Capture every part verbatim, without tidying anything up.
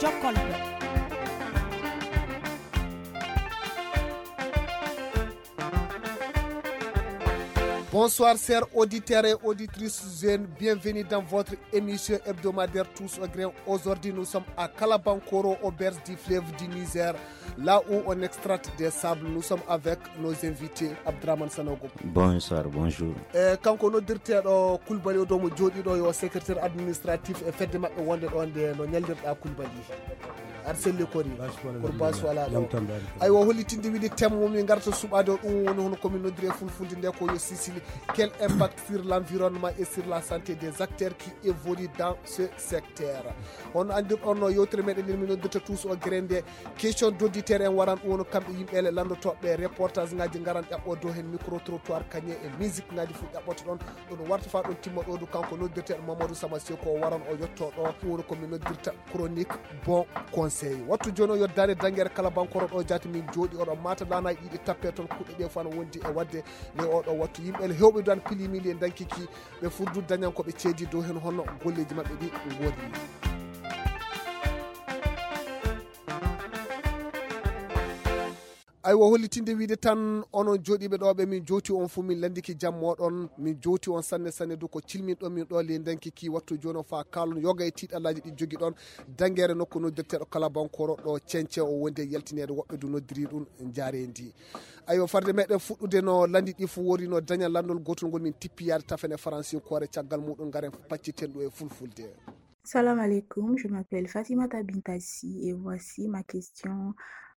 Jokkolɓe. Bonsoir, chers auditeurs et auditrices jeunes. Bienvenue dans votre émission hebdomadaire Tous au Grain. Aujourd'hui, nous sommes à Kalabankoro, au berge du fleuve du Niger, là où on extracte des sables. Nous sommes avec nos invités, Abdraman Sanogo. Bonsoir, bonjour. E kanko noddirteeɗo Kulbali o ɗo mo jooɗiiɗo yo secrétaire administratif e fedde maɓɓe wonde ɗo nde no ñallirɗa Kulbali. Aɗa selli kori. Kono baasi wala ɗo. Aywa, hollitinde wiide thème mo min ngarta suɓaade o, ɗum woni hono komin noddiri e fulfulde nde ko yo Sicile. Quel impact sur l'environnement et sur la santé des acteurs qui évoluent dans ce secteur? On andirɗon no yewtere meɗen nde min noddirta Tous au Grain nde, question d'auditeur en waran, ɗum woni kamɓe yimɓe le lanndotooɓe reportage ngaji ngaran ƴaɓɓo dow heen micro trottoir kañe e musique ngaji fof ƴaɓɓoto ɗon. Ɗum warta fa ɗum timma ɗo du kanko noddirteeɗo Mamadou Sama Seko o waran o yetto ɗo, ɗum woni ko min noddirta chronique bon conseil. Wattu jooni o yoddaade danngere Kalabankoro ɗo jaati min jooɗi oɗo mata lana ɗiɗi tappe toon kuɗɗe ɗe fof ana wondi e waɗde. Nde oɗo wattu yimɓe le hewɓe du ana pilimi le dankiki ɓe furdu dañan ko ɓe ceedi dow heen hono golleeji maɓɓe ɗi ngoodi. Aywa, hollitinde wiide tan onon jooɗiiɓe ɗo ɓe min jowti on fof min lanndiki jam moɗon, min jowti on sanne sanne du ko cilmin ɗon min ɗo ley ndanki ki wattu jooni o fa kaalon yoga e tiiɗallaaji ɗi jogi ɗon. Danngere nokku noddirteeɗo Kalabankoro ɗo Ceñce o wondi e yaltineede woɓɓe du noddiri ɗum njaareendi. Aywa, farde meɗen fuɗɗude no lanndi ɗi fof wori no daña lanndol gootol ngol min tippi yaade tafene faransinkoore caggal muɗum ngaren pacciten ɗum e fulfulde. Salam alaikum, je m'appelle Fatimata Bintassi et voici ma question.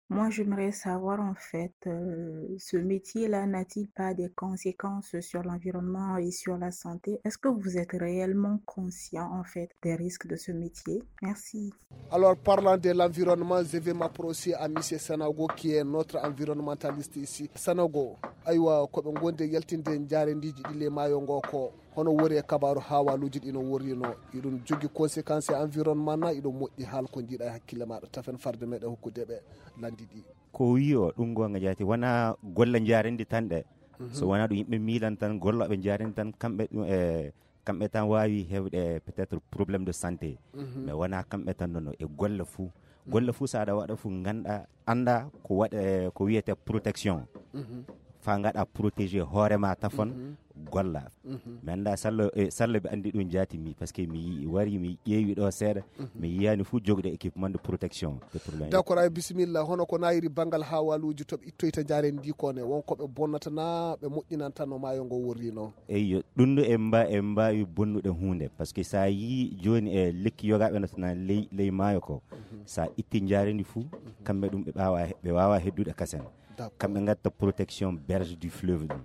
Moi, j'aimerais savoir en fait, euh, ce métier-là n'a-t-il pas des conséquences sur l'environnement et sur la santé? Est-ce que vous êtes réellement conscient en fait des risques de ce métier? Merci. Alors, parlant de l'environnement, je vais m'approcher à monsieur Sanogo qui est notre environnementaliste ici. Sanogo, aywa, ko ɓe ngondi e yaltinde njaareendiiji ɗi le maayo ngo ko hono wori e kabaaru haawaaluuji ɗi no worrino? Iɗum jogii conséquence e environnement na iɗum moƴƴi haal ko njiiɗa e hakkille maaɗa tafen farde meɗen hokkude ɓe lanndi ɗi? Ko wiyo ɗum goonga jaati wona golle njaareendi tan ɗe. So wona ɗum yimɓe miilan tan gollooɓe njaareendi tan kamɓe ɗum e kamɓe tan waawi heɓde peut-être problème de santé. Mais wona kamɓe tan nono e golle fou golle fou so aɗa waɗa fou ngannduɗaa annda ko waɗa ko wiyete protection. Fa ngaɗa protégé hoore ma tafon golla. Mi annda sallo e sallo ɓe anndi ɗum jaati mi parce que mi wari mi ƴeewi ɗo seeɗa. Mi yiyani fof jogɗo équipement de protection de problème. D'accord, ay bisimilla, hono ko nayiri banngal hawaluuji to ɓe ittoyta njaareendi ndi ko ne won ko ɓe bonnata na ɓe moƴƴinanta no maayo ngo worrino? Eyyo, ɗum ɗo en mba en mbaawi bonnude huunde parce que so a yii jooni e lekki yogaaɓe no tana ley ley maayo ko, so a itti njaareendi fof kamɓe ɗum ɓe ɓaawa ɓe waawa heddude kasen. Kamɓe ngatta protection berge du fleuve ɗum.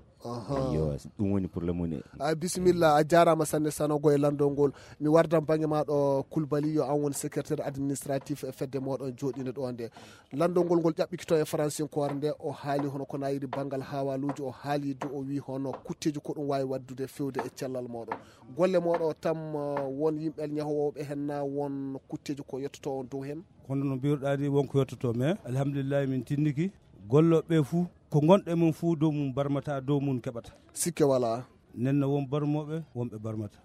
Yo, ɗum woni problème woni. A bisimilla, a jaaraama sanne Sanogo e lanndol ngol. Mi wardan bannge ma ɗo Kulbali, yo an woni secrétaire administratif e fedde moɗon jooɗinde ɗo nde. Lanndol ngol ngol ƴaɓɓikito e faransinkoore nde o haali hono ko nayiri banngal hawaluuji, o haali du o wii hono kutteeji ko ɗum waawi waɗdude fewde e cellal moɗon. Golle moɗon tam won yimɓe ñahowooɓe heen na won kutteeji ko yettoto on dow heen? Kono no mbiruɗaa ni won ko yettoto mais alhamdulillahi min tinniki gollooɓe ɓe fuu ko ngonɗo e mum fuu dow mum barmata dow mum keɓata. Sikke walaa. Nden no won barmooɓe wonɓe barmata.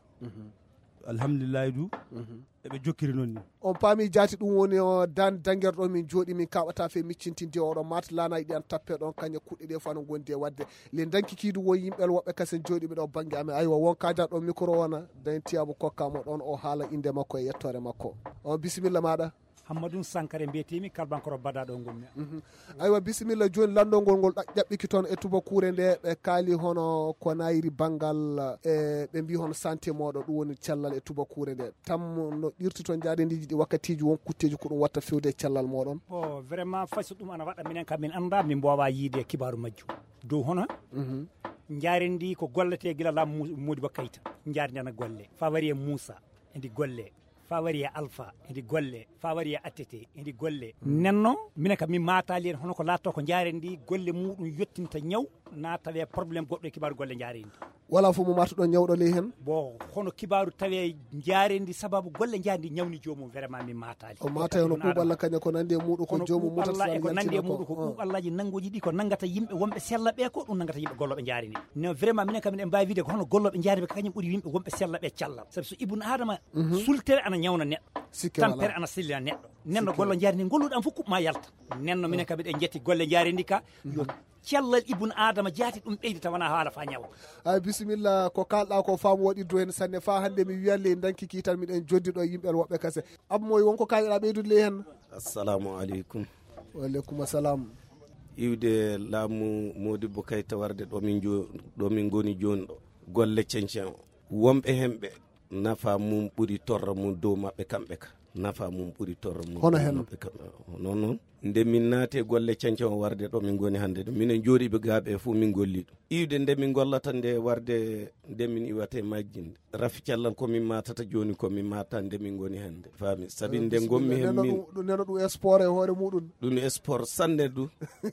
Alhamdulillahi du eɓe jokkiri noon ni. On paami jaati ɗum woni o dan dangerɗo min jooɗi min kaɓata fe miccintinde oɗo mat lana yiɗi an tappe ɗon kañe kuɗɗe ɗe fano gondi e wadde le danki kiidu won yimɓe woɓɓe kasen jooɗiɓe ɗo bannge amen aywa won kaja ɗo micro wona dan tiyabu kokkamo ɗon o haala inde makko e yettore makko. On bisimilla maɗa. Hammadou Sankare mbiyetemi, Kalbankoro Bada ɗo ngonmi. Aywa, bisimilla. Jooni lanndol ngol ngol ɗa- ƴaɓɓiki toon e tubakuure nde ɓe kaali hono ko nayiri banngal e ɓe mbi hono santé moɗo ɗum woni cellal e tubakuure nde tam no ɗirti toon njaareendiiji ɗi wakkatiiji won kutteeji ko ɗum watta fewde e cellal moɗon. O vraiment fay so ɗum ana waɗa minen kam min annda min mboowa yiide kibaaru majjum dow hono njaareendi ko gollete gila laam Mu- Modibo Kayta. Njaareendi ana golle fa wari e Moussa edi golle fa wari e Alpha edi golle fa wari e Attete edi golle. Nenno minen kam min maataali en hono ko laatto ko njaareendi golle muɗum yettinta ñaw na tawe problème goɗɗo e kibaaru golle njaareendi. Wala fof mo matuɗon ñawɗo ley heen. Bon, hono kibaaru tawe njaareendi sababu golle njaareendi ñawni joomum vraiment min maataali. O maata hono ɓuuɓalla kaña ko nandi e muɗum ko joomum mutatala e ko nandi e muɗum ko ɓuuɓallaji nannguji ɗi ko nanngata yimɓe wonɓe sella ɓe ko ɗum nanngata yimɓe gollooɓe njaareendi. No vraiment minen kam miɗen mbaawi wiide ko hono gollooɓe njaareendi ɓe kañum ɓuri yimɓe wonɓe sella ɓe cellal sabu so ibnu adama sultere ana ñawna neɗɗo. Sikke wala. Tampere ana sellina neɗɗo. Nenno Sikke golle wala. Jaari ni golluɗo am fof kuɓma yalta. Nenno minen kam eɗen jetti golle jaari ndi ka. Yo cellal ibn Adama jaati ɗum ɓeydi tawana haala fa ñawa. Ay, bisimilla, ko kalɗa ko faamu waɗi do hen sanne fa hande mi wiyan ley danki ki tan miɗen joddi ɗo yimɓe woɓɓe kase. Abba Moy, wonko kayɗa ɓeydude ley hen? Assalamu aleykum. Wa aleykum assalam. Iwde laamu Modibbo Kayta warde ɗo min jo-, ɗo min ngoni jooni ɗo. Golle cencen o. Wonɓe hen ɓe nafa mum ɓuri torra mum dow maɓɓe kamɓe ka. Nafa mum ɓuri torra mum Hono dow hen? Maɓɓe kamɓe. Noon noon. Nde min naati e golle cencen o warde ɗo min ngoni hannde ɗo. Minen jooɗiiɓe gaaɓe e fof min golli ɗum. Iwde nde min gollata nde warde nde min iwata e majji nde. Rafi cellal ko min matata jooni ko min mata nde min ngoni hannde. Faami? Sabi nde ngonmi hen Bisimilla. Neno min ɗum, neno ɗum e sport e hoore muɗum. Ɗum e sport sanne du.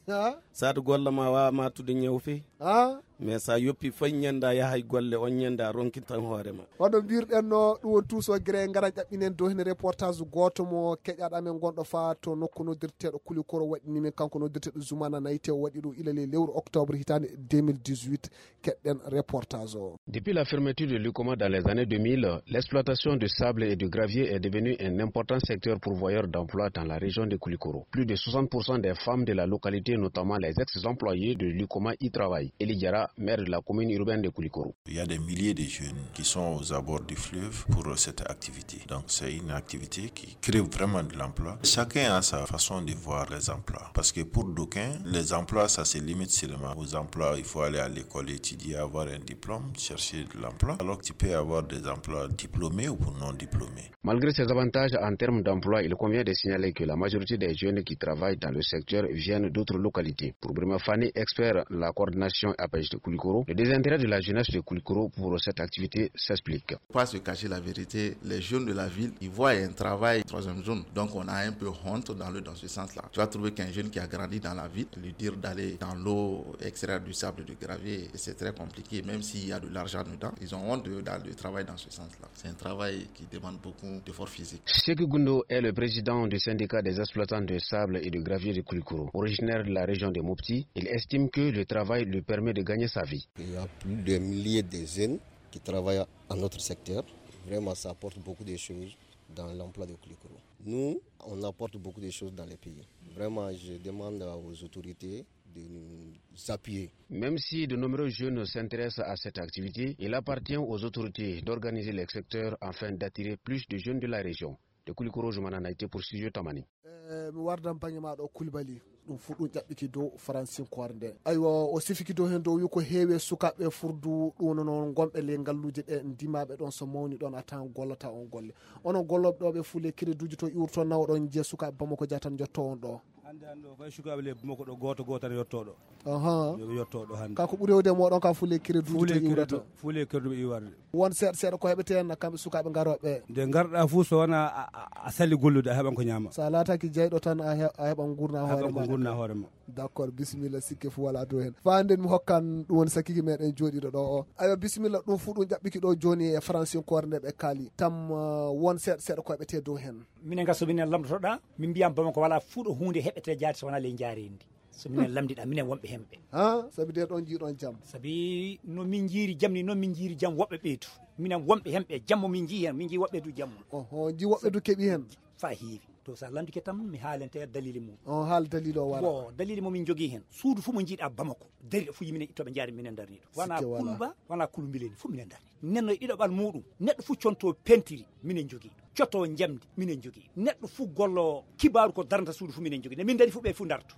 Ha? Saɗa golla ma wawa matude ñaw feyi. Ha? Mais sa yoppi fay ñande a yahay golle on ñande a ronki tan hoore ma. Hono mbirɗen no ɗum won tuuso gere ngara ƴaɓɓinen dow hene reportage goto mo keƴaɗo amen gonɗo fa to nokku noddirteɗo Kulikoro waɗini min kanko noddirteɗo Zoumana Nayte o waɗi ɗum ilale lewru octobre hitande deux mille dix-huit. Keɗɗen reportage o. Depuis la fermeture de l'UCOMA dans les années deux mille, l'exploitation de sable et de gravier est devenue un important secteur pourvoyeur d'emplois dans la région de Koulikoro. Plus de soixante pour cent des femmes de la localité, notamment les ex-employés de l'UCOMA, y travaillent. Eli Diarra, maire de la commune urbaine de Koulikoro. Il y a des milliers de jeunes qui sont aux abords du fleuve pour cette activité. Donc c'est une activité qui crée vraiment de l'emploi. Chacun a sa façon de voir les emplois. Parce que pour d'aucuns, les emplois, ça se limite seulement aux emplois. Il faut aller à l'école, étudier, avoir un diplôme, chercher de l'emploi. Alors que tu peux avoir des emplois diplômés ou non diplômés. Malgré ces avantages en termes d'emploi, il convient de signaler que la majorité des jeunes qui travaillent dans le secteur viennent d'autres localités. Pour Bruno Fani, expert de la coordination A P H de Koulikoro, le désintérêt de la jeunesse de Koulikoro pour cette activité s'explique. Pas se cacher la vérité, les jeunes de la ville, ils voient un travail troisième zone. Donc on a un peu honte dans le, dans ce sens-là. Tu vas trouver qu'un jeune qui a grandi dans la ville, lui dire d'aller dans l'eau, extraire du sable, du gravier, c'est très compliqué. Même s'il y a de l'argent dedans, ils ont honte de, de, de travailler dans ce sens-là. C'est un travail qui demande beaucoup d'efforts physiques. Sekou Gundo est le président du syndicat des exploitants de sable et de gravier de Koulikoro, originaire de la région de Mopti. Il estime que le travail lui permet de gagner sa vie. Il y a plus de milliers de jeunes qui travaillent à notre secteur. Vraiment, ça apporte beaucoup de choses dans l'emploi de Koulikoro. Nous, on apporte beaucoup de choses dans le pays. Vraiment, je demande aux autorités de nous appuyer. Même si de nombreux jeunes s'intéressent à cette activité, il appartient aux autorités d'organiser le secteur afin d'attirer plus de jeunes de la région. De Koulikoro, Zoumana Nayte pour Studio Tamani. Eh, mi wardan bange ma ɗo Koulibaly. Ɗum fu ɗum ƴaɓɓiki dow faransinkoore nde. Aywa, o sifiki dow heen dow wi ko heewi e sukaaɓe furdu ɗum no noon gonɓe ley ngalluuje ɗe ndimaɓe ɗon so mawni ɗon a tawan gollata on golle. Onon gollooɓe ɗo ɓe fu ley crédit uji to iwrto nawa ɗon njiya sukaaɓe Bamako jatan jotto on ɗo. Hannde hannde o fay sukaaɓe ley Bamako ɗo gooto gooto tan yotto ɗo. Aha. Yo ɓe yotto ɗo hannde. Ka ko ɓuri hewde e mooɗon ka fu ley crédit uji to iwrata. Fu ley crédit ɓe iwarde. Won seeɗa seeɗa ko heɓete hen kamɓe sukaaɓe garooɓe. Nde ngarɗa fu so wona a, a, a sali gollude a heɓan ko ñaama. Sa laataki jeyɗo tan a he-, a heɓan gurna hoore ma. Gurna hoore ma. D'accord, bisimilla sikke fu wala dow hen. Fa hannde mi hokkan ɗum woni sakiki meɗen jooɗiɗo ɗo o. Aywa bisimilla ɗum fu ɗum ƴaɓɓiki ɗo jooni e faransinkoore nde ɓe kaali. Tam, uh, won seeɗa seeɗa ko heɓete dow hen. Minen ga so minen lamdotoɗa, min mbiyam Bamako wala fu ɗo huunde heɓete jaati so wona ley njaareendi. So minen lamdiɗa, minen wonɓe hemɓe. Ha, sabi de ɗon jiiɗon jam. Sabi no min jiiri jam ni, noon min jiiri jam woɓɓe ɓeytu. Minen wonɓe hemɓe, jammo min jii hen, min jii woɓɓe du jammo. Oho, jii woɓɓe du keɓi hen. Fa heewi. To sa lamdike tan, mi haalante dalili mum. On haal dalili o wara. Bon, dalili mo min jogii hen. Suudu fu mo jiiɗa Bamako. Dari ɗo fu yiminen ittoɓe jaari minen darni ɗo. Wana Sikke wala. Kulba, wana kulumbileni fu minen darni. Nenno e ɗiɗaɓal muɗum, neɗɗo fu conto pentiri, minen jogii ɗum. Coto njamdi, minen jogii. Neɗɗo fu gollo kibaaru ko darnata suudu fu minen jogii. Ne min dari fu ɓe fu darto.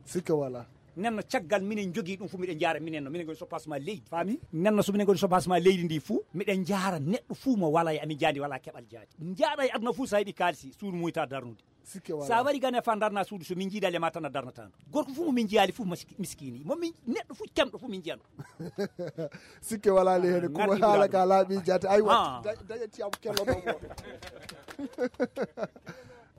Sikke wala. Nenno caggal minen jogii ɗum fu miɗen jaara minen no minen ngoni soppasma leydi. Faami? Nenno so minen ngoni soppasma leydi ndi fu, miɗen jaara neɗɗo fu mo wala e amin jaandi wala keɓal jaandi. Jaara e aduna fu sa heɓi kaalisi, suudu muyta darnude. Sikke wala. Sa wari gane fa darna suudu so min jiidali e ma tan a darnata ndu. Gorko fu mo min jiyaali fu mas-, miskini. Mo min neɗɗo fu temɗo fu min jiyan. Sikke wala le hene. Ah, kuma ngarɗi haala wala ka laaɓi jaate. Aywa, ah. Da-, daña tiyam kello ɗo mo.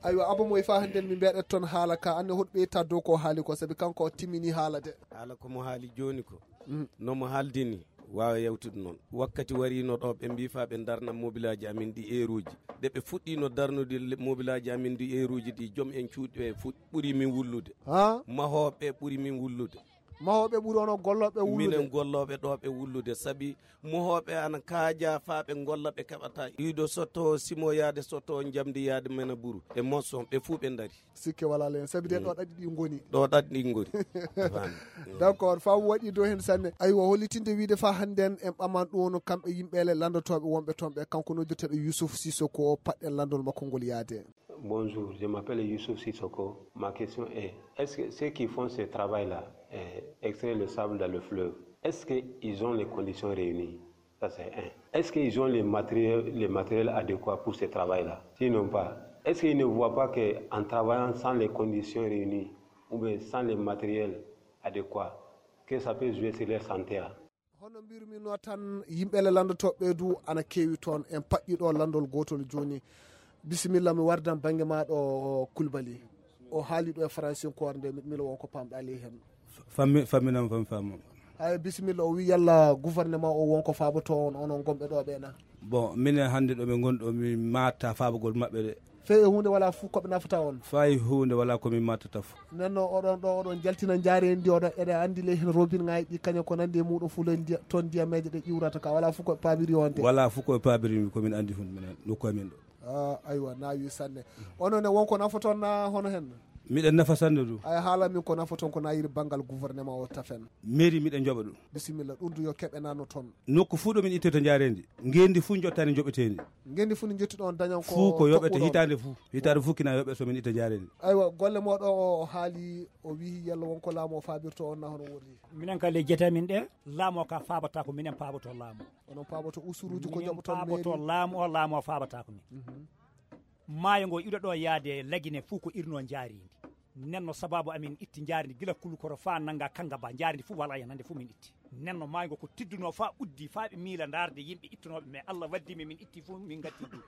Aywa, Abba Moy fa hannden mi mbeɗet toon haala ka. Anne hoɗo ɓeyta dow ko haali ko, sabi kanko o timmini haala de. Haala ko mo haali jooni ko. Mm. No mo haaldini, waawa yewtude noon. Wakkati wariino ɗo, ɓe mbii faa ɓe ndarna mobilaaji amin ɗi eeruuji. Nde ɓe fuɗɗiino darnude le-, mobilaaji amin ɗi eeruuji ɗi, joom en cuuɗi ɓe fuɗ-, ɓuri min wullude. Ha? Mahooɓe ɓuri min wullude. Mahooɓe ɓuri onon gollooɓe wullude. Minen gollooɓe ɗo ɓe wullude, sabi mohooɓe ana kaaja faa ɓe ngolla, ɓe keɓata. Iido sotto, simo yaade sotto, njamndi yaade mena buru. E moson, ɓe fuu ɓe ndari. Sikke walaa heen, sabi de ɗo ɗaɗi ɗi ngoni. Ɗo ɗaɗi ɗi ngoni. Fami. D'accord, faamu waɗi dow heen sanne. Aywa, hollitinde wiide faa hannden en ɓaman ɗum kamɓe yimɓe le lanndotooɓe wonɓe toon ɓe, kanko noddirteeɗo Youssouf Sissoko, paɗɗen lanndol makko ngol yaade. Bonjour, je m'appelle Youssouf Sissoko. Ma question est, est-ce que ceux qui font ce travail-là, euh, extraire le sable dans le fleuve, est-ce qu'ils ont les conditions réunies? Ça, c'est un. Est-ce qu'ils ont les matériels, les matériels adéquats pour ce travail-là? S'ils n'ont pas, est-ce qu'ils ne voient pas qu'en travaillant sans les conditions réunies ou bien sans les matériels adéquats, que ça peut jouer sur leur santé, hein? Hono mbirumi no tan, yimɓe le lanndotooɓe du ana keewi toon. En paɗɗi ɗo lanndol gootol jooni. Bisimilla, mi wardan bannge maa ɗo, Kulbali. O haali ɗo e faransinkoore nde, miɗo miila won ko paamɗaa ley heen. Fammi, famminam, fammi, fammi. Ay, bisimilla, o wi yalla gouvernement o won ko faaboto on, onon gonɓe ɗo ɓe na? Bon, minen hannde ɗo ɓe ngoni ɗo, mi maata faabagol maɓɓe de. Fey e huunde wala fof ko ɓe nafata on? Fay huunde wala ko min mattata fof. Nden no oɗon ɗo, oɗon jaltina njaareendi ndi, oɗon, eɗen anndi ley heen robinŋaaji ɗi, kañum ko nanndi e muɗum fof ley ndiya-, toon ndiyameeje ɗe ƴiwrata ka, wala fof ko ɓe paamiri on de? Wala fof ko ɓe paamiri mi, ko min anndi fof minen, nokku amin ɗo. Ah, aywa, naawi sanne. Onon ne won ko nafoton na hono heen? Miɗen nafa sanne du. Ay, haala min ko nafoton ko naayiri banngal gouvernement o tafen. Mairie miɗen njoɓa ɗum. Bisimilla, ɗum du yo keɓe nano toon. Nokku fuu ɗo min ittata njaareendi, ngeendi fuu jottani joɓeteeni. Ngeendi fuu ndi jottuɗon dañan ko fuu ko yoɓete toɓɓuɗon. Hitaande fuu. Hitaande fuu kina yoɓe so min itta njaareendi. Aywa, golle mooɗo o, o haali, o wiyi yalla won ko laamu o faabirto on na hono worri? Minen ka ley jete amin ɗe, laamu o ka faabata ko minen paaboto laamu. Onon paaboto usuruuji ko minen joɓoton paaboto mairie? Laamu o, laamu o faabata ko min. Mhm. Maayo ngo iɗo ɗo yaade Lagine fuu ko irno njaareendi. Nenno sababu amin itti njaareendi gila Kulukoro faa nannga Kangaba, njaareendi fuu wala heen hannde fuu min itti. Nenno maayo ngo ko tidduno faa uddi, faa ɓe miila ndaarde yimɓe ittunooɓe, mais Allah waddi min, min itti fuu min ngatti du.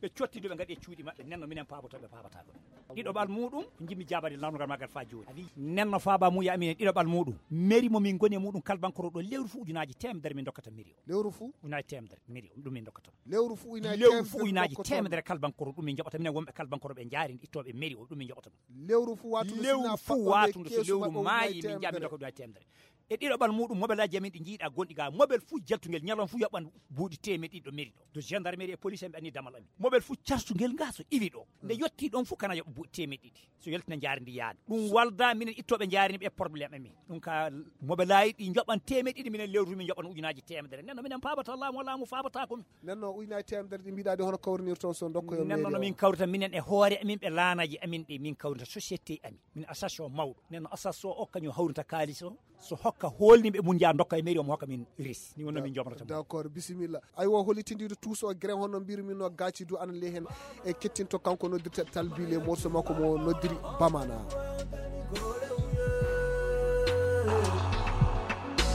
Ɓe cotti du, ɓe ngaɗi e cuuɗi maɓɓe, nenno minen paaboto ɓe paabata ɗum. Ɗiɗo ɓal muɗum, ko njimmi jaabade lanndungal maggal faa jooni. A wi, nenno faaba muuya amin en ɗiɗo ɓal muɗum. Mairie mo min ngoni e muɗum Kalbankoro ɗo lewru fuu ujunaaji teemedere min dokkata mairie o. Lewru fuu? Ujunaaji teemedere mairie o, ɗum min dokkata. Lewru fuu ujunaaji teemedere. Lewru fuu ujunaaji teemedere Kalbankoro, ɗum min njoɓata. Minen wonɓe Kalbankoro ɓe njaareendi ittooɓe mairie o, ɗum min njoɓata ɗum. Lewru fuu watude lewru sinaa fuu paɗɗo watundu so keesu lewru maɓɓe maayi, min njaha min dokka ɗum hay teemedere. E ɗiɗo ɓal muɗum, mobelaaji amin ɗi njiiɗa gonɗi ga, mobel fuu jaltungel ñalawma fuu yoɓan buuɗi teemeɗɗe ɗiɗi ɗo mairie ɗo. Gendarmerie e police en ɓe anni damal amin. Mobel fuu cartungel nga so iwi ɗo. Nde yotti ɗon fuu kana yoɓa buuɗi teemeɗɗe ɗiɗi. So yaltina njaareendi yaade. Ɗum walda minen ittooɓe njaareendi ɓe problème amin. Ɗum ka mobelaaji ɗi njoɓan teemeɗɗe ɗiɗi, minen lewru min njoɓan ujunaaji teemedere. Nenno minen paabata laamu, laamu faabata ko min. Nenno ujunaaji teemedere ɗi mbiɗa ɗi hono kawrinirton so dokkoyo mairie o? Nenno no min kawrita minen e hoore amin ɓe laanaji amin ɗi min kawrita société amin. Min association mawɗo. Nenno association o kañum hawrinta kaalis o. So hokka hoolniiɓe mum njaha ndokka e mairie o mo hokka min resi. Ni wonno min jomrata mum. D'accord, bisimilla. Aywa, hollitindiiɗo tuus o gren hono mbirmi no gaaci du ana ley heen. E kettinto kanko noddirteeɗo Talbi le morceau makko mo noddiri Bamana.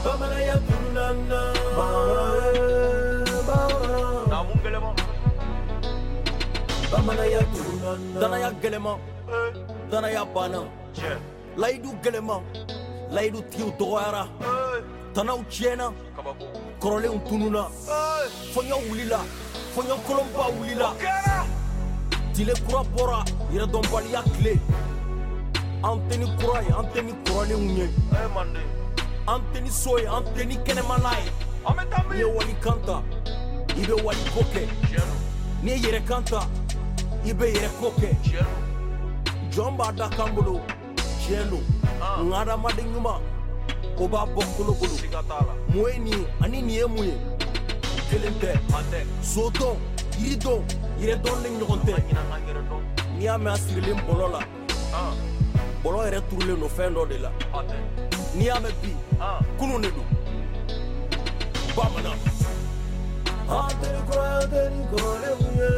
Bamana ya tunana. Na mun gɛlɛma. Bamana ya tunana. Dana ya gɛlɛma. Dana ya bana. Layidu gɛlɛma. Layidu tigiw dɔgɔyara. Tanaw tiɲɛna. Kɔrɔlenw tununa. Fɔɲɔ wulila. Fɔɲɔ kolonba wulila. Tile kura bɔra. Yɛrɛdɔnbaliya tile. An tɛ ni kura ye, an tɛ ni kɔrɔlenw ye. An tɛ ni so ye, an tɛ ni kɛnɛmana ye. N'i ye wali kan ta, i bɛ wali ko kɛ. N'i ye yɛrɛ kan ta, i bɛ yɛrɛ ko kɛ. Jɔn b'a da kan bolo. Tiɲɛ don. Nka hadamaden ɲuman, o b'a bɔ kolo bolo. Mun ye nin ye? Ani nin ye mun ye? Kelen tɛ. Sodɔn, yiridɔn, yɛrɛdɔn ni ɲɔgɔn tɛ. N'i y'a mɛn a sirilen bɔlɔ la, bɔlɔ yɛrɛ turulen don fɛn dɔ de la. N'i y'a mɛn bi, kunun de don. Bamanan. An tɛ kura, an tɛ ni kɔrɔlenw ye.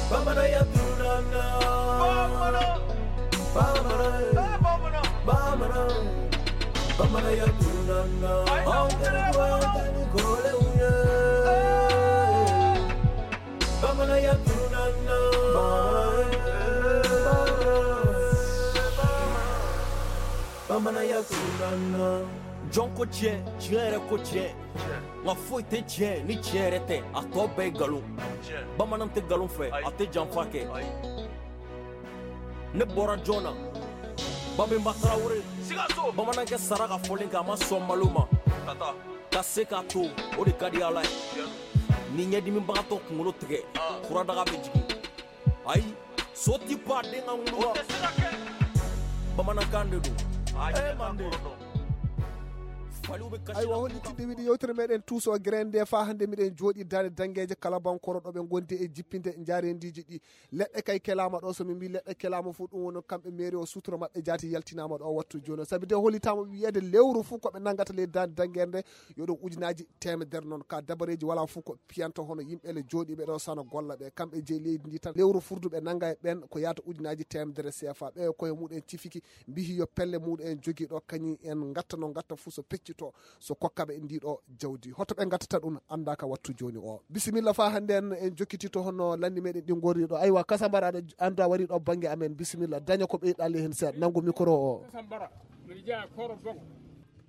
Bamanan ya tunana. Bamanan. Bamanan. Eh, bamanan. Bamanan. Bamanan ya tunana. Ayi, an tɛ kura, an tɛ ni kɔrɔlenw ye. Bamanan ya tunana. Bamanan. Bamanan ya tunana. Jɔn ko tiɲɛ, tiɲɛ yɛrɛ ko tiɲɛ. Nka foyi tɛ tiɲɛ ni tiɲɛ yɛrɛ tɛ, a tɔ bɛɛ ye nkalon. Bamanan tɛ nkalon fɛ, a tɛ janfa kɛ. Ne bɔra jɔn na? Babemba Traoré, Sikaso, bamanankɛ sara ka fɔlen kɛ, a ma sɔn malo ma. Tata, ka se k'a to, o de ka di Ala ye. Ni ɲɛdimibagatɔ kunkolo tigɛ, furadaga bɛ jigin. Ayi, so ti pan den ka ŋunu kan. Bamanankan de don. Eh, Manden. Faliw bɛ kasi la. Ayiwa, hollitinde wiide yewtere meɗen tuuso grande fa hannde miɗen jooɗi daande dangeeje kala bankoro ɗo ɓe ngondi e jippinde njaareendiiji ɗi. Leɗɗe kay kelaama ɗo, so min mbi leɗɗe kelaama fof, ɗum woni kamɓe mairie o, sutura maɓɓe jaati yaltinaama ɗo wattu jooni o. Sabi de hollitaama wiyeede lewru fof ko ɓe nanngata ley daande dangeere nde, yo ɗum ujunaaji teemedere noon. Ka dabareeji wala fof ko piyanta hono yimɓe le jooɗiiɓe ɗo sana golla ɓe. Kamɓe jeyi leydi ndi tan, lewru furdu ɓe nannga e ɓen ko yaata ujunaaji teemedere C F A. Ɓe koye muɗum en cifiki mbihi yo pelle muɗum en jogii ɗo kañum en ngatta no ngatta fof so peccito, so kokkaɓe ndi ɗo jawdi. Hoto ɓe ngattata ɗum annda ka wattu jooni o. Bisimilla fa hannde en, en jokkitito hono lanni meɗen ɗi ngori ɗo. Aywa, Kasambara aɗa anndu a wari ɗo bannge amen. Bisimilla, daña ko ɓeyɗa ley heen seeɗa. Nanngu micro o. Kasambara, mbiɗa jeyaa Koro Boko.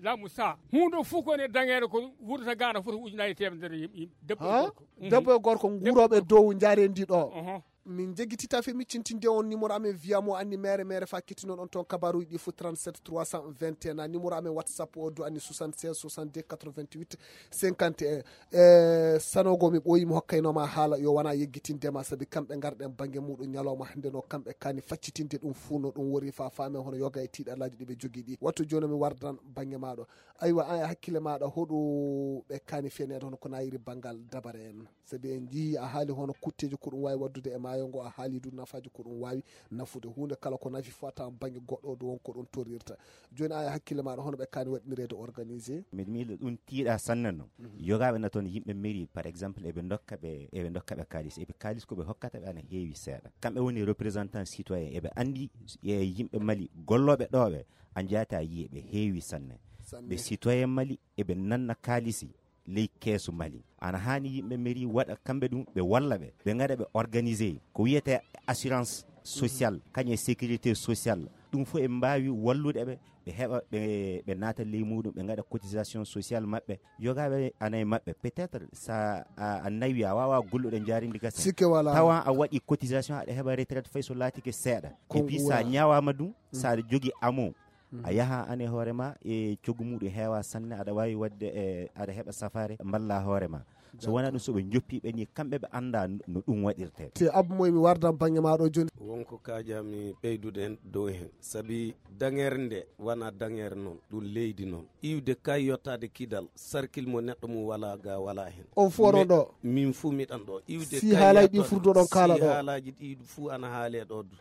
Lamu sa. Huunde fof ko ne daŋeede ko wurata gaana foti ujunaaji teemedere yim-, yim-, debbo e Ha? Gorko. Mhm. Debbo e gorko nguurooɓe dow njaareendi ɗo. Oho. Min njeggitita fe miccintinde on numéro amen via mo anni mere mere fa kettinoɗon toon kabaruji ɗi fof trente-sept trois cent vingt et un. Numéro amen WhatsApp o du anni soixante-seize soixante-deux quatre-vingt-huit cinquante et un. E sanogo mi ɓooyi mi hokkaynoma haala yo wona yeggitinde ma sabi kamɓe ngarɗen bannge muɗum ñalawma hannde no kamɓe kani faccitinde ɗum fuu no ɗum wori fa faame hono yoga e tiiɗalaaji ɗi ɓe jogii ɗi. Wattu jooni mi wardan bannge maɗo. Aywa, an e hakkille maɗa hoɗo ɓe kani feneede hono ko nayiri banngal dabare en? Sabi en njii a haali hono kutteeji ko ɗum waawi waɗdude e maayo ngo, a haali du nafaaji ko ɗum waawi nafude. Huunde kala ko nafi fof a tawan bannge goɗɗo o du won ko ɗum torrirta. Jooni an e hakkille maɗa hono ɓe kani waɗnireede organisé? Miɗo miila ɗum tiiɗa sanne noon. Mhm. Yogaaɓe na toon yimɓe mairie, par exemple, eɓe ndokka ɓe, eɓe ndokka ɓe kaalis. Eɓe kaalis ko ɓe hokkata ɓe ana heewi seeɗa. Kamɓe woni représentant citoyen, eɓe anndi e yimɓe Mali gollooɓe ɗo ɓe, a njaata yiye ɓe heewi sanne. Sanne. Ɓe citoyen Mali eɓe nanna kaalisi ley keesu Mali. Ana haani yimɓe mairie waɗa kamɓe ɗum, ɓe walla ɓe, ɓe ngaɗa ɓe organisé ko wiyetee assurance sociale, kañum e sécurité sociale. Ɗum fof eɓe mbaawi wallude ɓe, ɓe heɓa, ɓe, ɓe naata ley muɗum, ɓe ngaɗa cotisation sociale maɓɓe. Yogaaɓe ana e maɓɓe, peut-être sa a, a nawi, a waawa gollude njaarindi gasa. Sikke walaa. Tawa a waɗi cotisation, aɗa heɓa retraite fay so laatike seeɗa. Ko et puis sa nguura. Ñawaama ɗum, sa aɗa jogii amo, a yaha an e hoore ma e coggu muɗum heewa sanne, aɗa waawi waɗde e, aɗa heɓa safaare mballa hoore ma. So wonaa ɗum, so ɓe njoppi ɓe ni, kamɓe ɓe annda no ɗum waɗirte. Te Abba Moy, mi wardan bannge ma ɗo jooni. Wonko kaajami ɓeydude heen dow heen, sabi daŋeere nde wonaa daŋeere noon, ɗum leydi noon. Iwde kay yottaade Kidal, sarkil mo neɗɗo mum walaa ga walaa heen. On fof oɗon ɗo? Min fuu miɗan ɗo. Iwde si kay haalaaji ɗi yottoɗo, furduɗon kaala si ɗo? Haalaaji ɗi fuu ana haalee ɗo du.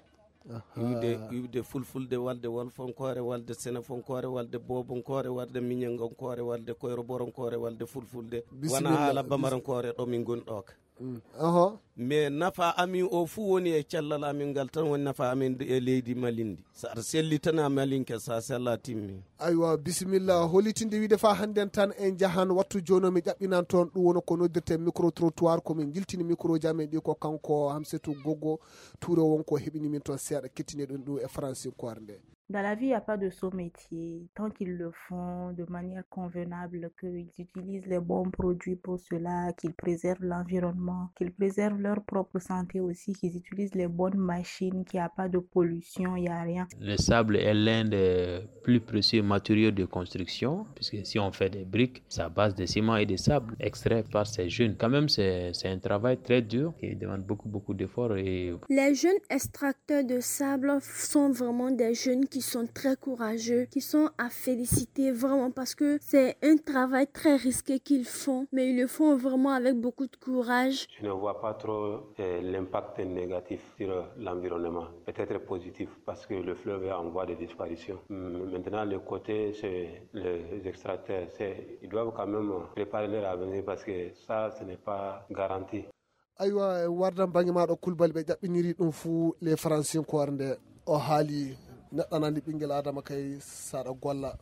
Aha. Iwde, iwde fulfulde, walde wolfonkoore, walde senefonkoore, walde boobonkoore, walde miñangonkoore, walde koyroboronkoore, walde fulfulde. Bisimilla. Wona haala bamarankoore ɗo min ngoni ɗo ka. Mm. Oho. Mais nafa amin o fuu woni e cellal amin ngal tan, woni nafa amin e leydi Mali ndi. So aɗa selli tan a Malinke, so a sella timmi. Aywa, bisimilla. Hollitinde wiide fa hannden tan en njahan wattu jooni o mi ƴaɓɓinan toon ɗum woni ko noddirten micro trottoir, ko min njiltini microji amen ɗi ko kanko Hamsetou Gogo Touré won ko heɓini min toon seeɗa, kettini ɗum ɗum e faransinkoore nde. Dans la vie, il n'y a pas de sot métier. Tant qu'ils le font de manière convenable, qu'ils utilisent les bons produits pour cela, qu'ils préservent l'environnement, qu'ils préservent leur propre santé aussi, qu'ils utilisent les bonnes machines, qu'il n'y a pas de pollution, il n'y a rien. Le sable est l'un des plus précieux matériaux de construction, puisque si on fait des briques, c'est à base de ciment et de sable extrait par ces jeunes. Quand même, c'est, c'est un travail très dur qui demande beaucoup, beaucoup d'efforts et... Les jeunes extracteurs de sable sont vraiment des jeunes qui sont très courageux, qui sont à féliciter vraiment parce que c'est un travail très risqué qu'ils font, mais ils le font vraiment avec beaucoup de courage. Je ne vois pas trop, euh, l'impact négatif sur l'environnement. Peut-être positif parce que le fleuve est en voie de disparition. Mm, maintenant, le côté, c'est les extracteurs, c'est, ils doivent quand même préparer leur avenir parce que ça, ce n'est pas garanti. Aywa, en wardan bannge maaɗo Kulbali, ɓe ƴaɓɓiniri ɗum fuu le faransinkoore nde o haali neɗɗo nandi ɓinngel Adama kay saɗa golla.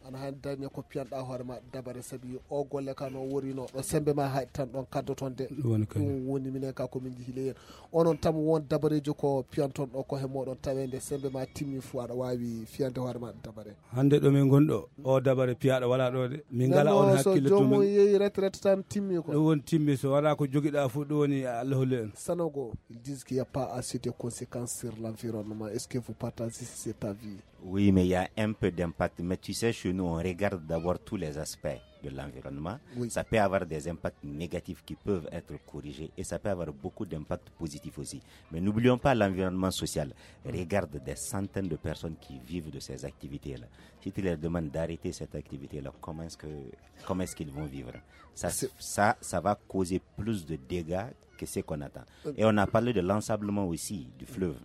Ana han dañe ko piyanɗa hoore ma dabare, sabi o golle ka no worino ɗo sembe ma haɗi tan ɗon kaddo ton de. Ɗum woni kañum. Ɗum woni minen ka ko min jihi ley hen. Onon tam won dabareejo ko piyanton ɗo ko he moɗon tawe nde sembe ma timmi fu aɗa waawi fiyande hoore ma dabare. Hannde ɗo min ngonɗo, o dabare piyaɗo wala ɗo de. Min ngala on hakkille to joomum min. Yehi retraite tan timmi ko. Ɗum woni timmi, so wala ko jogiɗa fu ɗum woni Allah holli en. Sanogo, ils disent qu'il n'y a pas assez de conséquences sur l'environnement. Est-ce que vous partagez cet avis? Oui, mais il y a un peu d'impact. Mais tu sais, chez nous, on regarde d'abord tous les aspects de l'environnement. Oui. Ça peut avoir des impacts négatifs qui peuvent être corrigés et ça peut avoir beaucoup d'impacts positifs aussi. Mais n'oublions pas l'environnement social. Regarde des centaines de personnes qui vivent de ces activités-là. Si tu leur demandes d'arrêter cette activité-là, comment est-ce que, comment est-ce qu'ils vont vivre? Ça, ça, ça va causer plus de dégâts que ce qu'on attend. Et on a parlé de l'ensablement aussi du fleuve.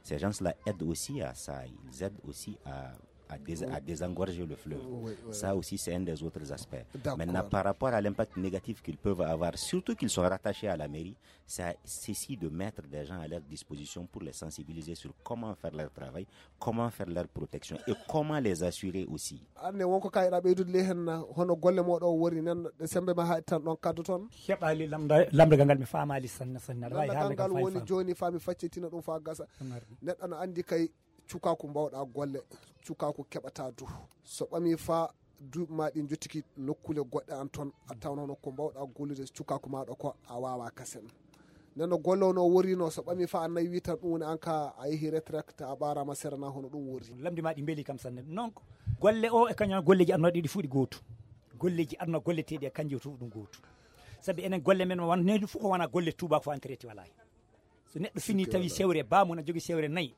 Ces gens-là aident aussi à ça. Ils aident aussi à, à, dés- à désengorger le fleuve. Oui, oui, ça aussi, c'est un des autres aspects. D'accord. Maintenant, par rapport à l'impact négatif qu'ils peuvent avoir, surtout qu'ils sont rattachés à la mairie, c'est à ceux-ci de mettre des gens à leur disposition pour les sensibiliser sur comment faire leur travail, comment faire leur protection et comment les assurer aussi. Anne wonko kayɗa ɓeydude ley hen, hono golle moɗo o wori nen, ɗe sembe ma haɗi tan ɗon kaddo ton. Heɓali lamda- lamdagal ngal mi faamaali sanne sanne. Aɗa waawi haalde kam ngal fay woni fam. Jooni fami faccitina ɗum fa gasa. Ɗum ardi. Neɗɗo no andi kay cukaku mbawɗa golle, cukaku keɓata du. So ɓami fa duuɓi ma ɗi jottiki nokkule goɗɗe an ton, a tawno hono ko mbawɗa gollude cukaku maɗo ko a wawa kasen. Nden no golle o no worino, so ɓami fa a nayi wi tan ɗum woni an ka a yehi retraite a ɓarama serana hono ɗum worri. Lamdi ma ɗi mbeli kam sanne. Donc golle o e kañum golleji aduna ɗiɗi fuɗi gootu. Golleji aduna golleteɗi e kanji o tufu ɗum gootu. Sabi enen golle men won nehdi fof ko wona golle tubaako fof en traité wala hen. So neɗɗo fini tawi sewre bamum na jogi sewre nayi.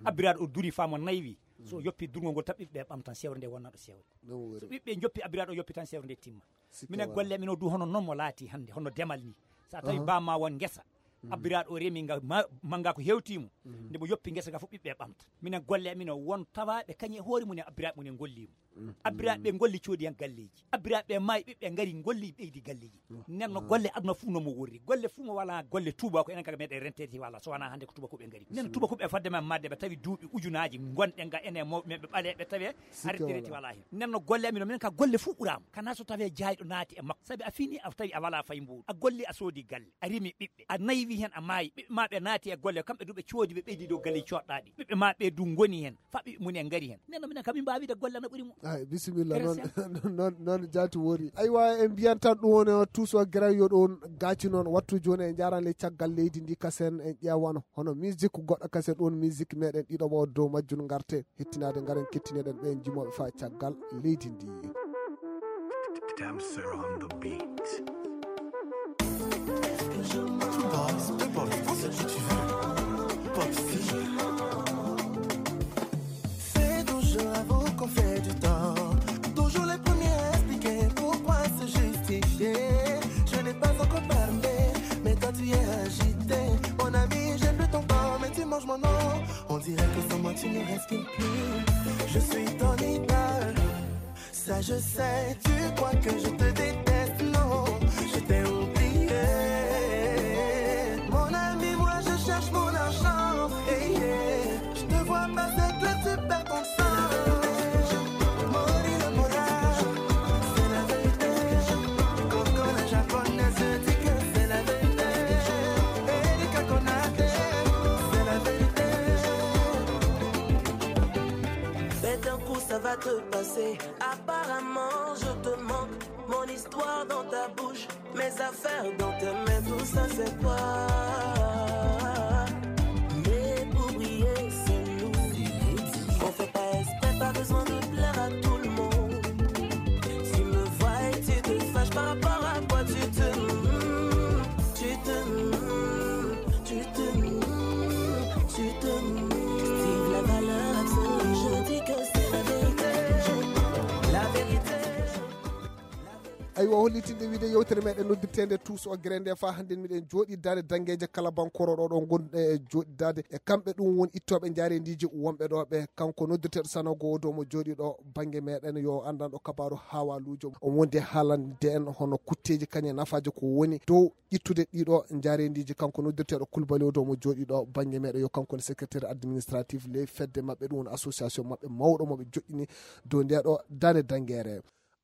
Abbiraɗo o duri famo nayi wi. So o yoppi durgol ngol tan ɓiɓɓe ɓamtan sewre nde wonnaɗo sewre. So ɓiɓɓe joppi abbiraɗo o yoppi tan sewre nde timma. Minen golle amin o du hono noon mo laati hannde, hono demal ni. So a tawi bamma won ngesa, abbiraɗo o remi nga ma- mannga ko hewtimo. Nde mo yoppi ngesa ga fof ɓiɓɓe ɓamta. Minen golle amin o won tawaɓe kañum e hoore mum e abbiraɓe mum en gollimo. Abbiraɓe ɓe golli coodi hen galleji. Abbiraɓe ɓe maayi ɓiɓɓe ngari golli ɓeydi galleji. Nen no golle aduna fof no mo worri. Golle fof mo wala golle tuba ko enen kaga meɗen rentede wala so wona hannde ko tuba ko ɓe ngari. Nen tuba ko ɓe fadde men madde ɓe tawi duuɓi ujunaji gonɗe ga ene mawɓe men ɓe ɓaleɓe tawe ardirete wala hen. Nen no golle amin o minen ka golle fof ɓurama. Kana so tawi jayɗo naati e makko. Sabi a fini a tawi a wala fay mbuuɗu. A golli a soodi galle. A rimi ɓiɓɓe. A naywi hen a maayi. Ɓiɓɓe ma ɓe naati e golle kamɓe du ɓe coodi ɓe ɓeydi dow galle coɗɗaɗi. Ɓiɓɓe ma ɓe du goni hen. Fa ɓiɓɓe mum en ngari hen. Nen no minen kam min mbawi wiide golle ana ɓuuri mum. Ay, bisimilla. Noon, noon, noon jaati wori. Aywa, en mbiyan tan ɗum woni o tuuso gerew yo ɗum gaaci noon. Wattu jooni en njaran le caggal leydi ndi kasen en ƴeewano. Hono musique goɗɗo kasen ɗum musique meɗen ɗiɗo o dow majjum ngarte. Hettinaade ngaren kettiniɗen ɓeen jimoɓe fa caggal leydi ndi. Damser on the beat. Two boys, two boys, prends ce que tu veux. Pop style. Fais ton jeu, avoue qu'on fait du tort. Toujours les premiers à expliquer pourquoi se justifier. Je n'ai pas encore parlé, mais toi tu es agité. Mon ami, j'aime plus ton corps, mais tu manges mon nom. On dirait que sans moi tu ne respires plus. Je suis ton idole. Ça je sais, tu crois que je te déteste, non, je t'ai oublié. Mon ami, moi je cherche mon argent, hey, yeah. Je te vois passer clair, tu perds ton sang. Mori le mora, c'est la vérité. Coco la japonaise dit que c'est la vérité. Erika Konaté, c'est la vérité. Fais d'un coup, ça va te passer. Apparemment, je te manque. Mon histoire dans ta bouche, mes affaires dans tes mains, tout ça c'est quoi? Mais pour briller, c'est nous. On fait pas exprès, pas besoin de plaire à tout le monde. Tu me vois et tu te fâches par rapport à quoi tu te, tu te, tu te, tu te. Steve, la valeur absolue, je dis que c'est la vérité. La vérité. Aywa, hollitinde wiide yewtere meɗen noddirteende Tuus o Gere nde, faa hannden miɗen jooɗii daande danngeeje kala bankooro ɗo, ɗo ngonɗen e jooɗidaade e kamɓe. Ɗum woni ittooɓe njaareendiiji wonɓe ɗo ɓe. Kanko noddirteeɗo Sanogo o, dow mo jooɗii ɗo bannge meɗen, yo anndanɗo kabaaru haawaaluujo. O wondi e haalande en hono kutteeji kañum e nafaaji ko woni dow ittude ɗiɗo njaareendiiji. Kanko noddirteeɗo Kulbali o, dow mo jooɗii ɗo bannge meɗen, yo kanko woni secrétaire administratif ley fedde maɓɓe, ɗum woni association maɓɓe mawɗo mo ɓe joɗɗini dow nde ɗo daande danngeere.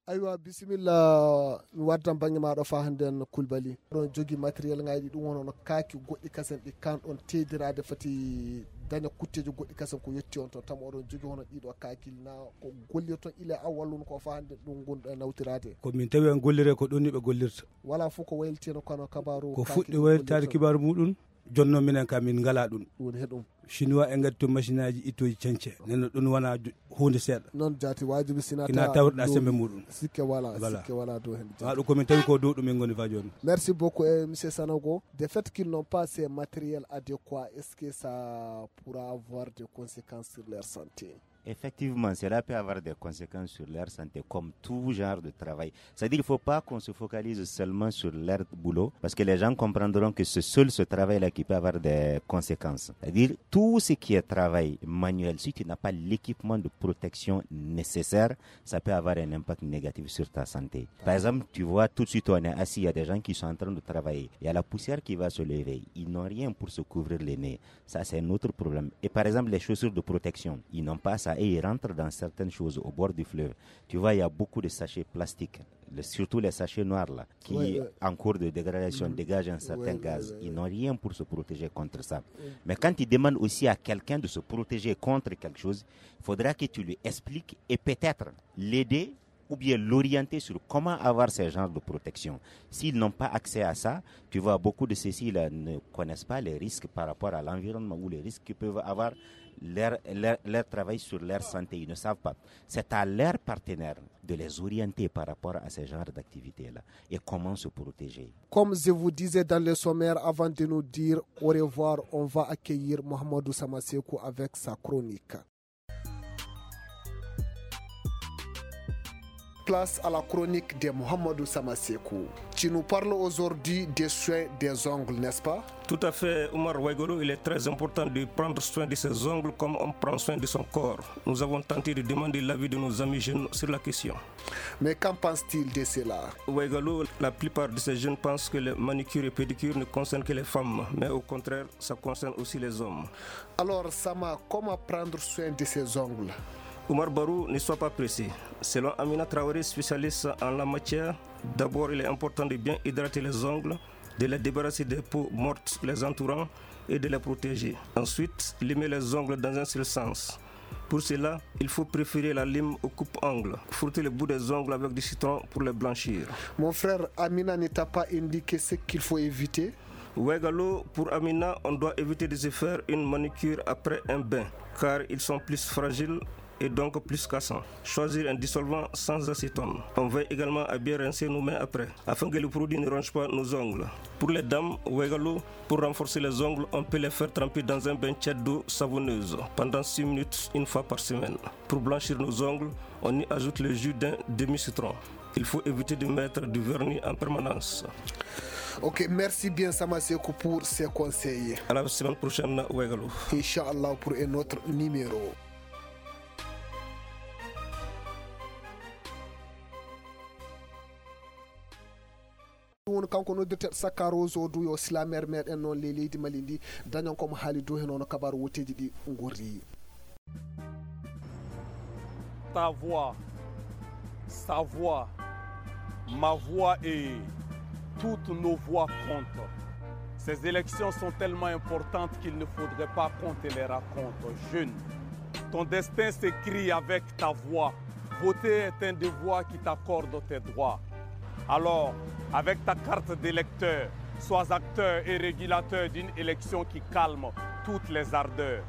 Aywa, bisimilla, mi waddan bannge maa ɗo faa hannden, Kulbali. Oɗon jogii matériel ŋaaji, ɗum woni hono kaaki goɗɗi kasen ɗi kaan ɗon teediraade, fati daña kutteeji goɗɗi kasen ko yotti on to. Tama oɗon jogii hono ɗiɗo kaaki, na ko gollirton ila awwalun ko faa hannden ɗum ngonɗo e nawtiraade? Ko min tawi en golliree ko ɗum ni ɓe gollirta. Wala fof ko waylitino kono kabaaru ko kaaki fuɗɗi ɗum waylitaade gollirton. Kibaaru muɗum, jonno minen ka min ngalaa ɗum. Ɗum woni he ɗum. Chinois en ngaddi toon machine aji ittooji cence. Nden no ɗum wona jo-, huunde seeɗa. Noon jaati waajibi sina kina ta tawruɗa looli. Sembe muɗum. Sikke wala, voilà. Sikke wala dow heen jaati. Ɗum ko min tawi ko dow ɗum min ngoni faa jooni. Merci beaucoup, eh, monsieur Sanogo. De fait qu'ils n'ont pas ces matériels adéquats, est-ce que ça pourra avoir des conséquences sur leur santé? Effectivement, cela peut avoir des conséquences sur leur santé, comme tout genre de travail. C'est-à-dire, il ne faut pas qu'on se focalise seulement sur leur boulot, parce que les gens comprendront que c'est seul ce travail-là qui peut avoir des conséquences. C'est-à-dire, tout ce qui est travail manuel, si tu n'as pas l'équipement de protection nécessaire, ça peut avoir un impact négatif sur ta santé. Par exemple, tu vois, tout de suite, on est assis, il y a des gens qui sont en train de travailler. Il y a la poussière qui va se lever. Ils n'ont rien pour se couvrir les nez. Ça, c'est un autre problème. Et par exemple, les chaussures de protection, ils n'ont pas ça et ils rentrent dans certaines choses au bord du fleuve. Tu vois, il y a beaucoup de sachets plastiques, le- surtout les sachets noirs là, qui, ouais, ouais, en cours de dégradation, mhm, dégagent un certain, ouais, ouais, gaz. Ouais, ils, ouais, n'ont rien pour se protéger contre ça. Ouais. Mais quand tu demandes aussi à quelqu'un de se protéger contre quelque chose, il faudra que tu lui expliques et peut-être l'aider ou bien l'orienter sur comment avoir ces genres de protection. S'ils n'ont pas accès à ça, tu vois, beaucoup de ceux-ci là ne connaissent pas les risques par rapport à l'environnement ou les risques que peuvent avoir leur, leur, leur travail sur leur santé. Ils ne savent pas. C'est à leurs partenaires de les orienter par rapport à ces genres d'activités-là et comment se protéger. Comme je vous disais dans le sommaire, avant de nous dire au revoir, on va accueillir Mohamedou Samasekou avec sa chronique. Place à la chronique de Mohamedou Samasekou. Tu nous parles aujourd'hui des soins des ongles, n'est-ce pas? Tout à fait, Omar Waigolo, il est très important de prendre soin de ses ongles comme on prend soin de son corps. Nous avons tenté de demander l'avis de nos amis jeunes sur la question. Mais qu'en pense-t-il de cela? Waigolo, la plupart de ces jeunes pensent que les manucures et pédicures ne concernent que les femmes, mais au contraire, ça concerne aussi les hommes. Alors, Sama, comment prendre soin de ses ongles? Omar Barou, ne sois pas pressé. Selon Amina Traoré, spécialiste en la matière, d'abord, il est important de bien hydrater les ongles, de les débarrasser des peaux mortes les entourant et de les protéger. Ensuite, limer les ongles dans un seul sens. Pour cela, il faut préférer la lime au coupe-ongles. Frotter le bout des ongles avec du citron pour les blanchir. Mon frère, Amina ne t'a pas indiqué ce qu'il faut éviter? Waigalo, pour Amina, on doit éviter de se faire une manucure après un bain, car ils sont plus fragiles et donc plus cassants. Choisir un dissolvant sans acétone. On veille également à bien rincer nos mains après, afin que le produit ne ronge pas nos ongles. Pour les dames, Waigalo, pour renforcer les ongles, on peut les faire tremper dans un bain tiède d'eau savonneuse pendant six minutes une fois par semaine. Pour blanchir nos ongles, on y ajoute le jus d'un demi-citron. Il faut éviter de mettre du vernis en permanence. Ok, merci bien Samasekou pour ces conseils. À la semaine prochaine, Waigalo. Inch'Allah, pour un autre numéro. Ɗum woni kanko noddirteeɗo Sakka Rose o du, yo silameere meɗen noon ley leydi Mali ndi, dañon ko mo haali dow heen, hono kabaaru wooteeji ɗi ngorri. Ta voix, sa voix, ma voix et toutes nos voix comptent. Ces élections sont tellement importantes qu'il ne faudrait pas qu'on te les raconte. Jeune, ton destin s'écrit avec ta voix. Voter est un devoir qui t'accorde tes droits. Alors, avec ta carte d'électeur, sois acteur et régulateur d'une élection qui calme toutes les ardeurs.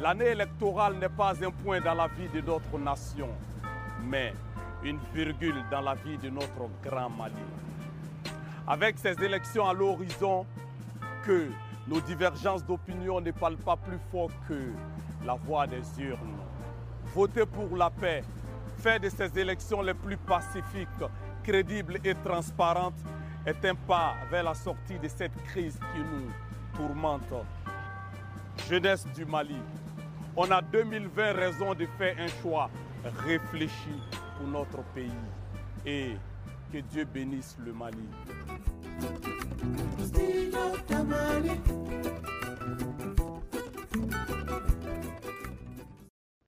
L'année électorale n'est pas un point dans la vie de notre nation, mais une virgule dans la vie de notre grand Mali. Avec ces élections à l'horizon, que nos divergences d'opinion ne parlent pas plus fort que la voix des urnes. Votez pour la paix, Fin de ces élections les plus pacifiques, crédibles et transparentes est un pas vers la sortie de cette crise qui nous tourmente. Jeunesse du Mali, on a deux mille vingt raison de faire un choix réfléchi pour notre pays. Et que Dieu bénisse le Mali.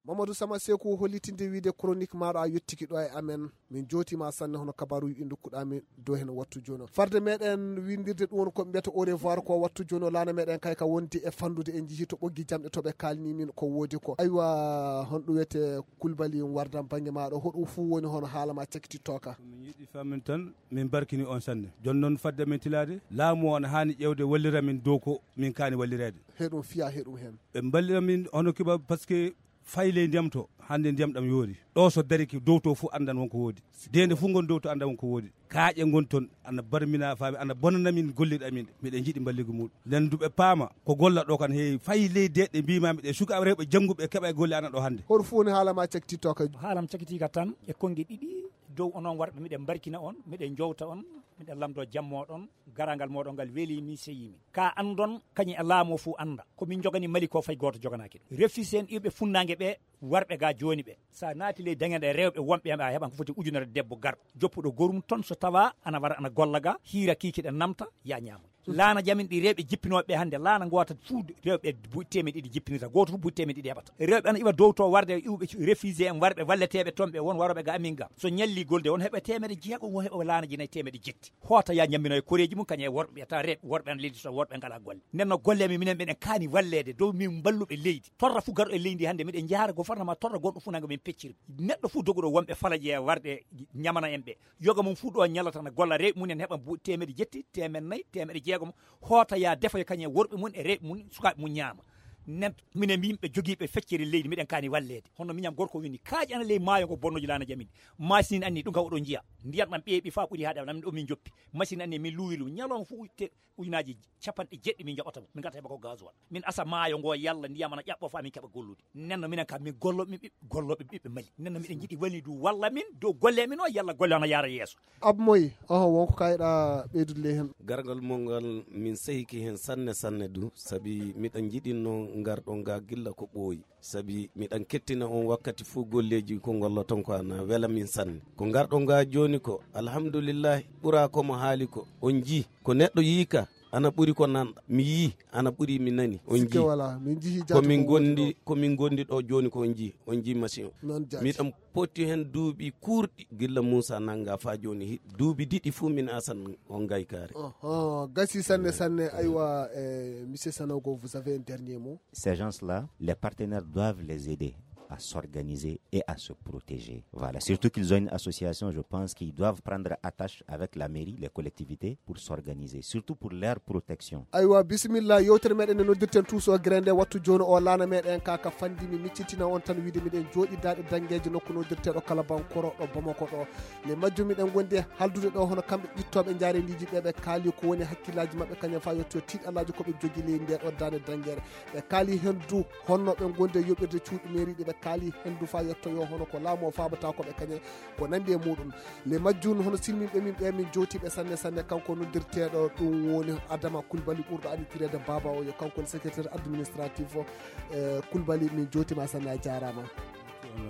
Mamadou Sama Seku, hollitinde wiide chronique maɗo a yettiki ɗo e amen. Min jootima sanne hono kabaruji ɗi dokkuɗa min dow hen wattu jono. Farde meɗen windirde ɗum woni ko mbiyata au revoir ko wattu jono, laana meɗen kay ka wondi e fandude, en jihi to ɓoggi jamɗe to ɓe kalni min ko woodi ko. Aywa, honɗum wiyete Kulbali Wardan bangge maɗo, hoɗum fuu woni hono haala ma cakitittoka? Min yiɗi famin tan, min barkini on sanne. Jon noon fadde min tilade, laamu o ana haani ƴewde wallira min dow ko min kaani wallirede. Heɗum fiya heɗum hen. Ɓe mballira min hono kiba, parce que fay ley ndiyam to, hannde ndiyam ɗam yoori. Ɗo so dariki dow to fof anndan won ko woodi. Deende fof ngon dow to anndan won ko woodi. Kaaƴe ngon toon, ana barmina faami, ana bonana min gollirɗe amin. Miɗen njiɗi mballigu muɗum. Nden duɓe paama, ko golla ɗo kan heewi. Fay ley deeɗe mbima miɗe sukaaɓe rewɓe jannguɓe keɓa e golle ana ɗo hannde. Hoto fof ne haala ma cakti to ka. Haalam cakitiika tan e konnge ɗiɗi. Dow onon warɓe, miɗen mbarkina on, miɗen jowta on, miɗen lamdo jammoɗon. Garagal moɗon ngal weeli min, seyi min. Ka andon, kañum e laamu o fof anda. Ko min jogani Mali ko, fay gooto joganaaki ɗum. Refusé en iwɓe funnaange ɓe, warɓe ga jooni ɓe. Sa naati ley dañeɗe rewɓe wonɓe, a heɓan ko foti ujunere debbo garɗo. Joppuɗo gorum ton so tawa ana wara ana golla ga, hiira kiikiɗe namta, ya ñaamo. Laana jamin ɗi rewɓe jippinooɓe ɓe hannde, laana ngoota fuu rewɓe buy teemeɗe ɗiɗi jippinirta, gooto fof buy teemeɗe ɗiɗi heɓata. Rewɓe ana iwa dow to warde iwɓe refusé en warɓe walleteeɓe toon ɓe won warooɓe ga amin ga. So ñalli golde won heɓa teemeɗe jeego, won heɓa laana ji nayi teemeɗe jetti. Hoota ya ñammino e koreeji mum, kañum e worɓe, ɓe tawa rewɓe, worɓe ana leydi so worɓe ngalaa golle. Nden no golle amin, minen mbiɗen kaani walleede, dow min mballuɓe leydi. Torra fof garɗo e leydi hannde, miɗen njaara gouvernement, torra goɗɗo fof nanga min pecciri. Neɗɗo fof doguɗo wonɓe falaƴe e warde ñamana en ɓe. Yoga mum fof ɗo ñalata na golla rewɓe mum en heɓa bu-, teemeɗe jetti, teemeɗe nayi, teemeɗe jeegom. Hoota ya defa yo kañum e worɓe mum e rewɓe mum, sukaaɓe mum ñaama. Nen, minen yimɓe jogiiɓe feccere leydi, miɗen kaani walleede. Hono miñam gorko wini, kaaƴe ana ley maayo ngo bonnoji laana jamin. Machine anni ɗum kam oɗo njiya. Ndiyan ɗam ɓeeɓi faa ɓuri haaɗe, ɗam ɗo min joppi. Machine anni min luwiri ɗum. Ñalawma fof te-, ujunaji capanɗe jeeɗiɗi min njaɓata mo. Min ngarta heɓa ko gasoil. Min asa maayo ngo yalla ndiyam ana ƴaɓɓo faa min keɓa gollude. Nenno minen kam min gollo ɓiɓɓe, golloɓe ɓiɓɓe Mali. Nenno miɗen njiɗi wali du walla min, dow golle min o yalla golle ana yaara yeeso. Abmoy, oho, wonko kayɗa ɓeydude ley hen? Gargal mon ngal, min sehiki hen sanne, sanne du, sabi miɗa jiɗinno ngarɗon ga gilla ko ɓooyi. Sabi miɗan kettina on wakkati fuu golleeji ko ngolloton ko ana wela min sanne. Ko ngarɗon ga jooni ko, alhamdulillahi, ɓura ko mo haali ko. On jii, ko neɗɗo yii ka, ana ɓuri ko nanɗa. Mi yii, ana ɓuri mi nani. On Sikke jii. Wala, min jii ko jaati min ko wondi, ko min gondi ɗo jooni ko on jii. On jii machine o. Noon jaati. Miɗan potti hen duuɓi kuurɗi gilla Muusa nanga faa jooni. Hi-, duuɓi diɗi fuu min asan on gaykaare. Oho, gasi sanne, sanne. Aywa, eh, monsieur Sanogo, vous avez un dernier mot? Ces gens-là, les partenaires doivent les aider à s'organiser et à se protéger. Voilà. Surtout qu'ils ont une association, je pense qu'ils doivent prendre attache avec la mairie, les collectivités, pour s'organiser, surtout pour leur protection. Aywa, bisimilla, yewtere meɗen nde noddirten Tuuso Gere nde wattu jooni o laana meɗen ka, ka fandi mi miccitina on tan wiide miɗen jooɗi daɗe dangeeje nokku noddirteɗo Kalabankoro ɗo Bamako ɗo. Nde majjum miɗen gondi e haldude ɗo hono kamɓe ƴittooɓe njaareendiiji ɓe, ɓe kaali ko woni hakkillaaji maɓɓe kañum faa yetto tiiɗalaaji ko ɓe jogi ley nde ɗo daande dangeere. Ɓe kaali hen du honno ɓe gondi e yoɓirde cuuɗi mairie ɗi, ɓe kaali hen du faa yettoyo hono ko laamu o faabata ko ɓe kañe ko nandi e muɗum. Nde majjum hono silminɓe min ɓe min jowtiɓe sanne sanne, kanko noddirteɗo ɗum woni Adama Kulbali ɓurɗo anditirede Baba o, yo kanko woni secrétaire administratif o. E, Kulbali, min jowtima sanne, a jarama.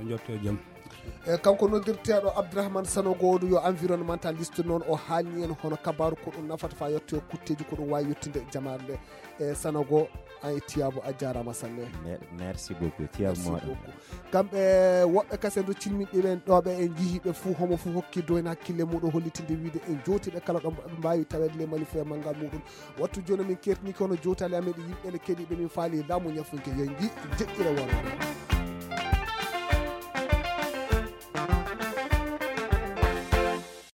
On jotto e jam. E, kanko noddirteɗo Abdourahmane Sanogo, ɗum yo environnementaliste noon, o haalni en hono kabaru ko ɗum nafata faa yetto e kutteji ko ɗum wawi yettude jamaare nde. E, Sanogo, an e Tiyabo, a jarama sanne. Me-, merci beaucoup, Tiyabo. Merci moɗon. Beaucoup. Kamɓe woɓɓe kasen ɗo cilminɗi ɓen ɗo ɓe en jihiɓe fuu, homo fuu hokki doyna hakkille muɗum hollitinde wiide en jowtiɓe kala ɗo ɓe mbawi taweede le malifu e manngal muɗum. Wattu jooni min kertini kono jowtali amen ɗi yimɓe ne keɗiɓe min faali laamu ñafunke yo ngi jeɗɗire wonde.